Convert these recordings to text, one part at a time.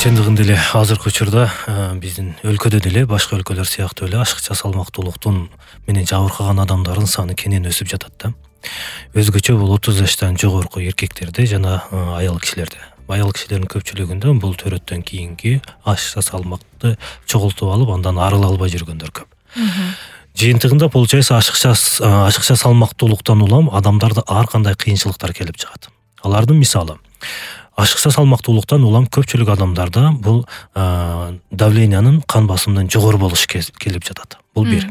Чындыгында эле азыркы учурда биздин өлкөдө деле башка өлкөлөр сыяктуу эле ашыкча салмактуулуктун менен жабыркаган адамдардын саны кенен өсүп жатат да. Өзгөчө бул 30 жаштан жогорку эркектерде жана аял кишилерде. Аял кишилердин көпчүлүгүндө бул төрөттөн кийинки ашыкча салмакты чогултуп алып, андан арыла албай жүргөндөр көп. Жыйынтыгында получается ашыкча салмактуулуктан улам адамдарда ар кандай кыйынчылыктар келип чыгат. Алардын мисалы ашыкча салмактуулуктан улам көпчүлүк адамдарда бул давлениянын кан басымынын жогору болушу келип жатат. Бул бир.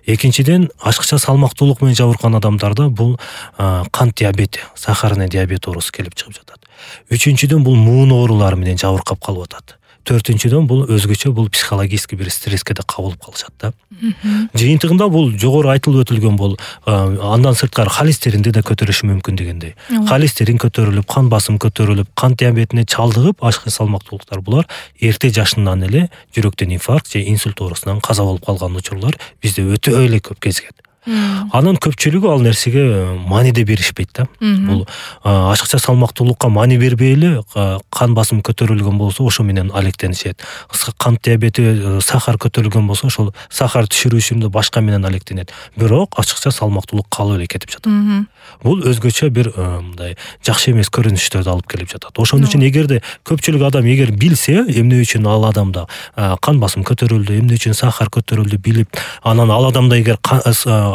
Экинчиден, ашыкча салмактуулук менен жабыркаган адамдарда бул кант диабети, сахарный диабет оорусу келип чыгып жатат. Үчүнчүдөн, бул муун оорулары менен жабыркап калып атат. Төртүнчүдөн, бул өзгөчө бул психологический бир стресске да кабылып калышат да. Жыйынтыгында бул жогору айтылып өтүлгөн бул андан сырткары холестеринди да көтөрүшү мүмкүн дегендей. Холестерин көтөрүлүп, кан басым көтөрүлүп, кант диабетине чалдыгып, ашыкча салмактуулуктар булар эрте жашынан эле жүрөктөн инфаркт же инсульт оорусунан каза болуп калган учурлар бизде өтө эле көп кезигет. Анын көпчүлүгү ал нерсеге маани да беришпейт да. Бул ашыкча салмактуулукка маани бербей эле кан басым көтөрүлгөн болсо ошо менен алектенишет. Кант диабети, сахар көтөрүлгөн болсо ошол сахар түшүрүү үчүн башка менен алектенет. Бирок ашыкча салмактуулук калып эле кетип жатат. Бул өзгөчө бир мындай жакшы эмес көрүнүштөрдү алып келип жатат. Ошон үчүн эгерде көпчүлүк адам билсе, эмне үчүн ал адамда кан басым көтөрүлдү, эмне үчүн сахар көтөрүлдү билип, анан ал адамда эгер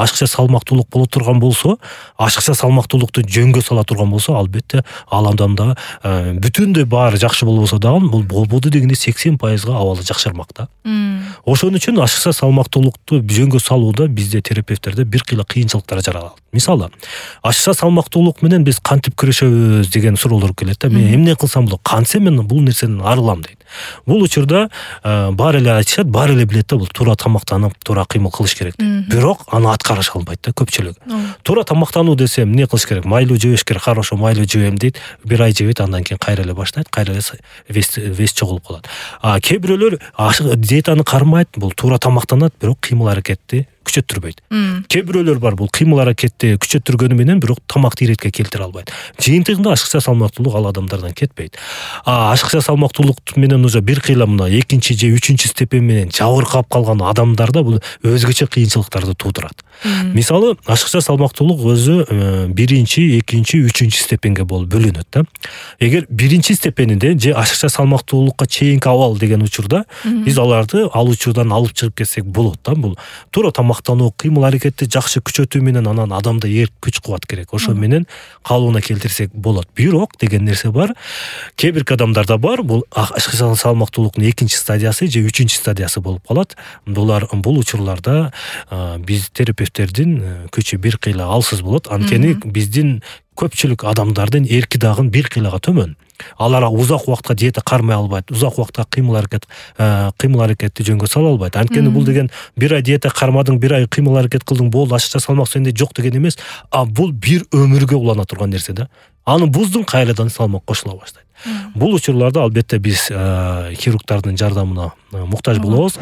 ашыкча салмактуулук боло турган болсо, ашыкча салмактуулукту жөнгө сала турган болсо, албетте ал адамда бүтүндөй баары жакшы болбосо дагы бул болбоду дегенде 80% абалы жакшырмак да. Ошон үчүн ашыкча салмактуулукту жөнгө салууда бизде терапевттерде бир кыйла кыйынчылыктар жаралат. Мисалы, ашыкча салмактуулук менен биз кантип күрөшөбүз деген суроолор келет да. Мен эмне кылсам болот? Кантсе мен бул нерседен арылам дейт. Бул учурда баары эле айтышат, баары эле билет да, бул туура тамактанып, туура кыймыл кылыш керек дейт. Бирок аны аткарыша албайт да көпчүлүк. Туура тамактануу десем, эмне кылыш керек? Майлуу жебеш керек, хорошо майлуу жебем дейт. Бир ай жебейт, андан кийин кайра эле баштайт, кайра эле вес чогулуп калат. Кээ бирөөлөр диетаны кармайт, бул туура тамактанат, бирок кыймыл аракетти күчөттүрбөйт. Кээ бирөөлөр бар, бул кыймыл аракетти күчөттүргөнү менен бирок тамакты иретке келтире албайт. Жыйынтыгында ашыкча салмактуулук ал адамдардан кетпейт. Ашыкча салмактуулук менен уже бир кыйла мына экинчи же үчүнчү степень менен жабыркап калган адамдарда бул өзгөчө кыйынчылыктарды туудурат. Мисалы, ашыкча салмактуулук өзү биринчи, экинчи, үчүнчү степенге болуп бөлүнөт да. Эгер биринчи степенинде же ашыкча салмактуулукка чейинки абал деген учурда биз аларды ал учурдан алып чыгып кетсек болот да. Бул туура тамактануу, кыймыл аракетти жакшы күчөтүү менен анан адамда күч кубат керек. Ошо менен калыбына келтирсек болот. Бирок деген нерсе бар. Кээ бир адамдарда бар, бул ашыкча салмактуулуктун экинчи стадиясы же үчүнчү стадиясы болуп калат. Бул учурларда биз терапевттердин күчү бир кыйла алсыз болот. Анткени биздин көпчүлүк адамдардын эрки дагы бир кыйлага төмөн. Алар узак убакытка диета кармай албайт, узак убакытка кыймыл аракетти жөнгө сала албайт. Анткени бул деген бир ай диета кармадың, бир ай кыймыл аракет кылдың, болду ашыкча салмак сенде жок деген эмес, бул бир өмүргө улана турган нерсе да. Аны буздуң, кайрадан салмак кошула баштайт. Бул учурларда албетте биз хирургдардын жардамына муктаж болобуз.